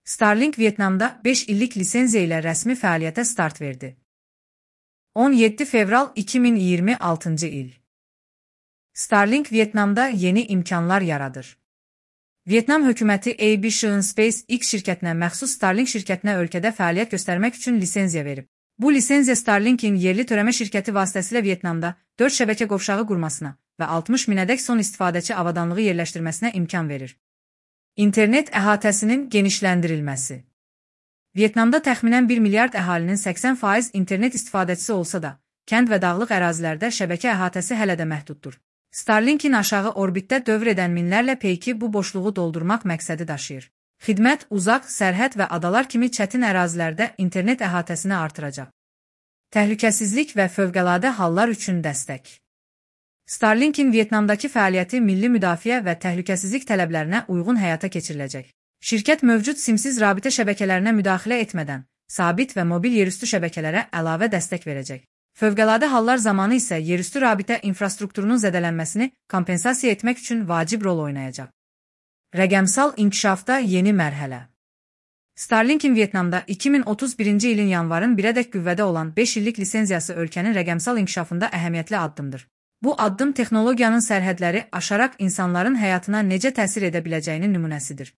Starlink Vyetnamda 5 illik lisenziya ilə rəsmi fəaliyyətə start verdi. 17 fevral 2026 il. Starlink Vyetnamda yeni imkanlar yaradır. Vyetnam hökuməti Aviation SpaceX şirkətinə məxsus Starlink şirkətinə ölkədə fəaliyyət göstərmək üçün lisenziya verib. Bu lisenziya Starlink'in yerli törəmə şirkəti vasitəsilə Vyetnamda 4 şəbəkə qovşağı qurmasına və 60 minədək son istifadəçi avadanlığı yerləşdirməsinə imkan verir. İnternet əhatəsinin genişləndirilməsi. Vyetnamda təxminən 1 milyard əhalinin 80% internet istifadəçisi olsa da, kənd və dağlıq ərazilərdə şəbəkə əhatəsi hələ də məhduddur. Starlink'in aşağı orbitdə dövr edən minlərlə peyki bu boşluğu doldurmaq məqsədi daşıyır. Xidmət uzaq, sərhəd və adalar kimi çətin ərazilərdə internet əhatəsini artıracaq. Təhlükəsizlik və fövqəladə hallar üçün dəstək. Starlink'in Vyetnamdakı fəaliyyəti milli müdafiə və təhlükəsizlik tələblərinə uyğun həyata keçiriləcək. Şirkət mövcud simsiz rabitə şəbəkələrinə müdaxilə etmədən, sabit və mobil yerüstü şəbəkələrə əlavə dəstək verəcək. Fövqəladə hallar zamanı isə yerüstü rabitə infrastrukturunun zədələnməsini kompensasiya etmək üçün vacib rol oynayacaq. Rəqəmsal inkişafda yeni mərhələ. Starlink'in Vyetnamda 2031-ci ilin yanvarın 1-ədək qüvvədə olan 5 illik lisenziyası ölkənin rəqəmsal inkişafında əhəmiyyətli addımdır. Bu addım texnologiyanın sərhədləri aşaraq insanların həyatına necə təsir edə biləcəyinin nümunəsidir.